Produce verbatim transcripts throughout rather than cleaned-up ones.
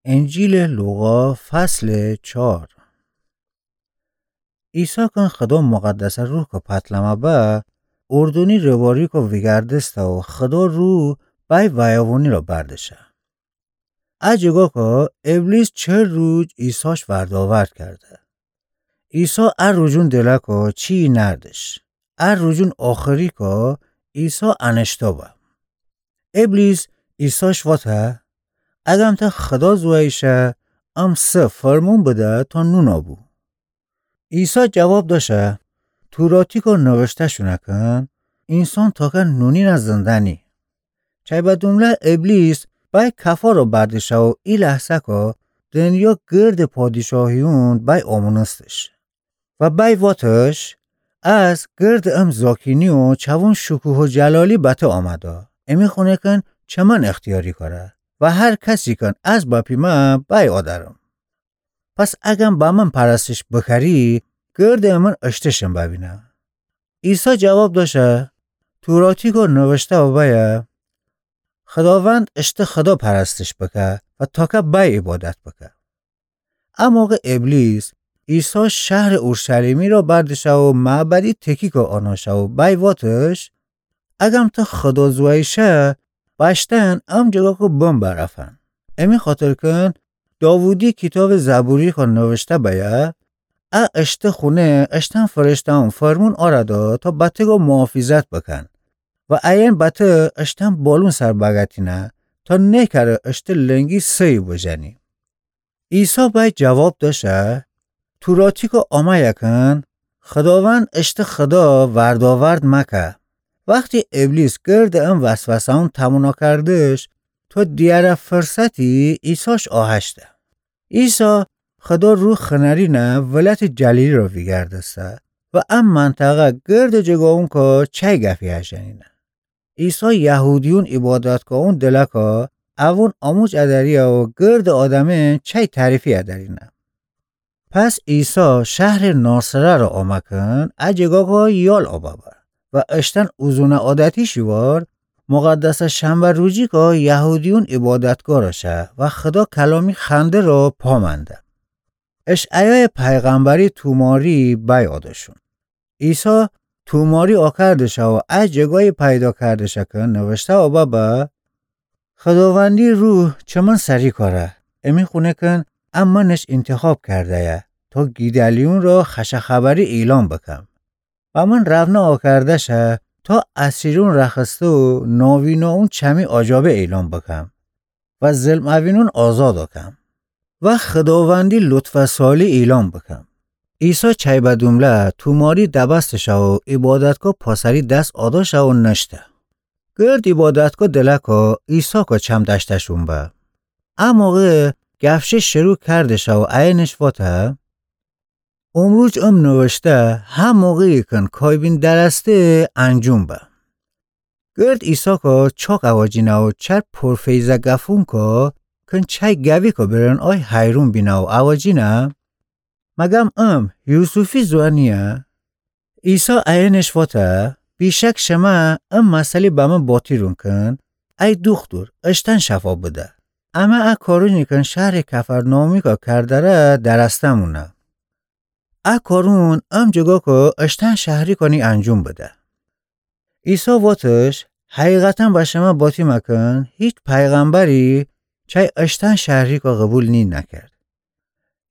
انجیلٚ لوقا، فصلٚ چهار. عیسی کن خدا مقدسٚ روح کو پتلمه به، اردنی رواریکو ویگردسته و خدا روح بأی ویاونی را بردشه. ا جگاکو ابلیس چل روج عیساش وردآورد کرده. عیسی ا روجون دلکو چیی نردش. ا روجون آخریکو عیسی انشتابه. ابلیس عیساش واته، اگم ته خدا زوئیی شه، ام سه فرمون بده تا نون آبو. عیسی جواب داشه، توراتیکو نوشته شونه کن، اینسان تاکه نونینه زنده نی. چای به دومله ابلیس بأی کفارو بردشه و ای لحظه‌کو دنیا گردٚ پادیشاهیون بأی آمونستش. و بأی واتش، از گردٚ ام زاکینی و چوون شکوه و جلالی بته آمده. امی خونه کن چمن اختیاری کاره و هر کسی کن از بپیمه بأی آدرم. پس اگم بمن پرستش بکری، گردٚ امن اشتشم ببینه. عیسی جواب داشه، توراتیکو نوشته و بأیه، خداوند اشته خدا پرستش بکه و تاکه بأی عبادت بکه. ا موقع ابلیس عیسی شهرٚ اورشلیمی را بردشه و معبدی تکیکو آناشه و بأی واتش، اگم ته خدا زوئیی شه، بشتن ام جگاکو بم برفن. امی خاطر کن داوودی کیتابٚ زبوریکو نوشته بأیه، ا اشته خونه اشتن فرشته‌ون فرمون آرده تا بته‌گو محافظت بکن و اَیین بته اشتن بالون سر بگتینه تا نیکره اشته لنگی سه‌یی بجنی. عیسی بأی جواب داشه، توراتیکو آمأیه کن، خداوند اشته خدا وردآورد مکه. وختی ابلیس گردٚ ام وسوسه‌ون تمونا کردش، تا دیره فرصتی عیساش آهشته. عیسی خدا روح خنرینه ولایتٚ جلیلی را ویگردسته و ا منطقه گردٚ جگاونکو چای گفی هژنینه. عیسی یهودیون عبادتگاهون دلکا اوون آموج ادریه و گردٚ آدمه چای تعریفی ادرینه. پس عیسی شهرٚ ناصره را آمه کن، ا جگاکا یال آبابه و اشتن اوزون عادتی شیوار مقدسٚ شنبه روجیکا یهودیون عبادتگاه را شه و خدا کلامی خنده را پامنده. اشعیایٚ پیغمبری توماری بأی آدشون. عیسی توماری آکردشه و ا جگایی پیدا کردشه کن نوشته آبابه، خداوندی روح چمن سری کاره، امی خونه کن ا منش انتخاب کرده‌یه تا گیدلیون را خوشٚ خبری اعلام بکم. بمن رونا آکردشه تا اسیرون رخصته و نابیناون چمی آجابه اعلام بکم و ظلم اوینون آزاد آکم و خداوندی لطف و سالی اعلام بکم. عیسی چای به دومله توماری دبست شه و عبادتگاه پاسری دس آداشه و نشته. گرد عبادتگاه دلکا عیساکا چم دشتشون به. ا موقع گفشه شروع کردشه و اَیینش واته، امروج ام نوشته، هه موقعی کن کایبین درسته انجوم به. گرد عیساکا چاک اوجینه و چر پرفیضه گفونکا کن چای گویکا برن آی حیرون بینه و اوجینه، مگم ام یوسفی زوئن نییه؟ عیسی اَیینش واته، بیشک شمه ام مسئله بمن باطیرون کن، ای دوختور، اشتن شفا بده. امه ا کارونی کن شهرٚ کفرناحومیکا کردره درستمونه. ا کارون ام جگاکا اشتن شهریکانی انجوم بده. عیسی واتش، حقیقتا به شمه باطی مکن، هیچ پیغمبری چای اشتن شهریکا قبول نی نکرد.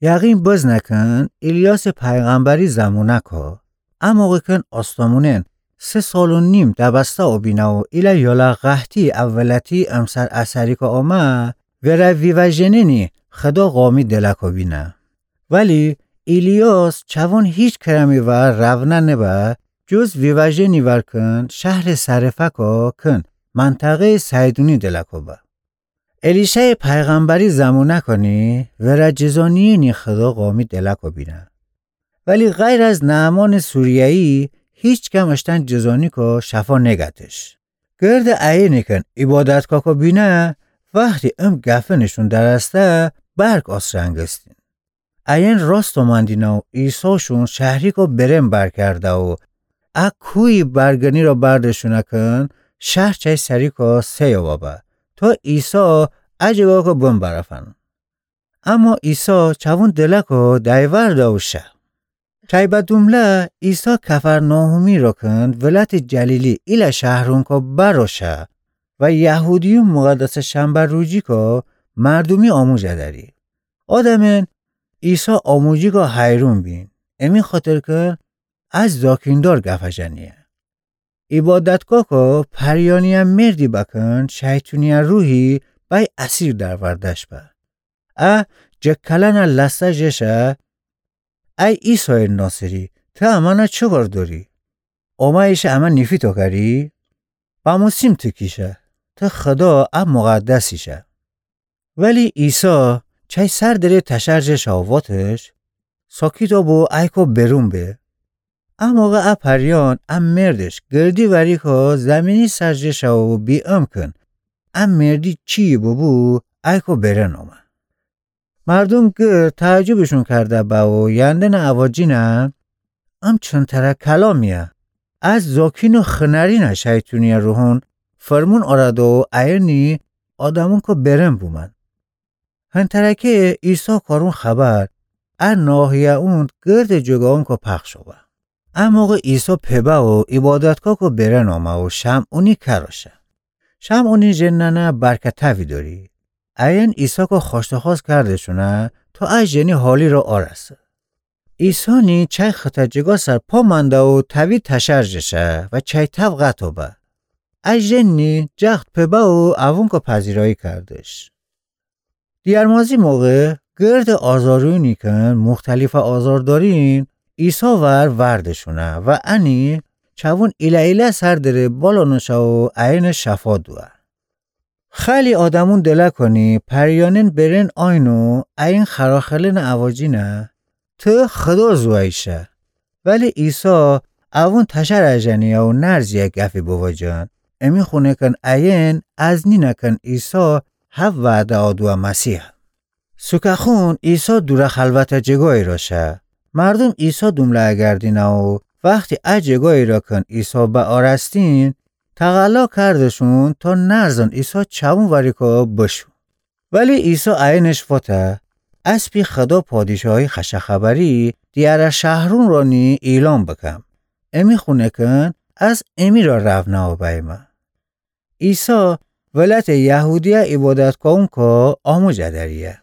یقین بزنه کن، ایلیاسٚ پیغمبری زمونکا، ا موقع کن آسمانون سه سال و نیم دبسته اوبینه و ایله یالا قحطی اولتی امسر اسریکا آمه، وره ویوه‌ژنینی خدا قامی دلکا بینه. ولی ایلیاس چوون هیچ کرمی ور روونه نبه، جز ویوه‌ژنی ور کن شهرٚ صرفتا کن منطقه‌یٚ صیدونی دلکا به. الیشعٚ پیغمبری زمونکانی وره جذا نیینی خدا قامی دلکا بینه. ولی غیر از نعمانٚ سوریه‌یی هیچ کم اشتن جذانیکا شفا نگتش. گرد اَیینی کن عبادتگاهکا بینه، وختی ام گفنشون درسته برک آس رنگستین. اَیین راست اومندینه و عیساشون شهریکا برم برکرده و ا کویی برگنی را بردشونه کن شهر چای سریکا سه‌یو ببه تا عیسی ا جگاکا بم برفن. اما عیسی چوون دلکو دایوارده و شه. شیبه دومله عیسی کفرناحومی روکن ولأتٚ جلیلی ایله شهرونکو بر و شه و یهودیون مقدسٚ شنبه روزیکو مردومی آموزه دأری. آدمأن عیسی آموزیکو حیرون بین، امی خاطر کن از زاکیندار گفه ژنیه. عبادتگاهکو پریانی‌یه مردی بکن شیطونی‌یه روحی بأی اسیر درورده‌ش به. ا جه کلأنه لسه ژه شه: ای عیسایٚ ناصری، ته امأنه چی کار دأری؟ آمه‌یی‌شه امه نیفی تاکری؟ بمو سیم تیکی‌شه، ته خدا ا مقدسی‌شه. ولی عیسی چای سر دره تشر ژه شه و واتش: ساکیتَ بو، ایکو برون به. ا موقع ا پریان ا مردش گردی وریکو زیمینی سر ژه شه و بی‌امکن ا مردی چی‌یی ببو ایکو برن آمه. مردوم گرد تعجبشون کرده به و یندنٚ اواجینه: ام چنتره کلامی‌یه؟ از زاکین و خنرینه شیطونی‌یه روحون فرمون اورده و ایأنی آدمونکو برن بومأن. هنتره کی عیسی کارون خبر ا ناحیه اون گردٚ جگاونکو پخش به. ا موقع عیسی پبه و عبادتگاهکو برن آمه و شمعونی کر و شه. شمعونی ژنأنه برکتأوی دأری. ایأن عیسی‌کو خوأشتخوأس کردشونه تا ا ژنی حالی را آرسه. عیسی نی چای خطه جگا سر پا منده و تأوی تشر ژه شه و چای تأو قطع به. ا ژن نی جخت پبه و اوونکو پذیرایی کردش. دیرمازی موقع گردٚ آزارونی کن مختلفه آزار دأرین عیسی ور وردشونه و انی چوون ایله ایله سر دره بالانٚ شه و ایأنه شفا دوه. خیلی آدمون دلکانی پریانین برن آیین و ایین خراخلنٚ اواجینه: ته خدا زویی شه. ولی عیسی اوون تشر اژنی‌یه و نرزی‌یه گفی بواجن، امی خونه کن ایین از نینه کن عیسی هب وعده آدوه مسیحه. سوکه‌خون عیسی دوره خلوته جگایی را شه. مردوم عیسی دومله اگردینه و وختی ا جگایی را کن عیسی بأرستین، تقلا کردشون تا نرزن عیسی چوون وریکو بشو. ولی عیسی ایینش فوته: اسپی خدا پادشاهی خوش خبری دیره شهرون رانی ایلان بکم. امی خونه کن از امی را رونأ بأیمه. عیسی ولأتٚ یهودیه عبادت کونکو آموزه دریه.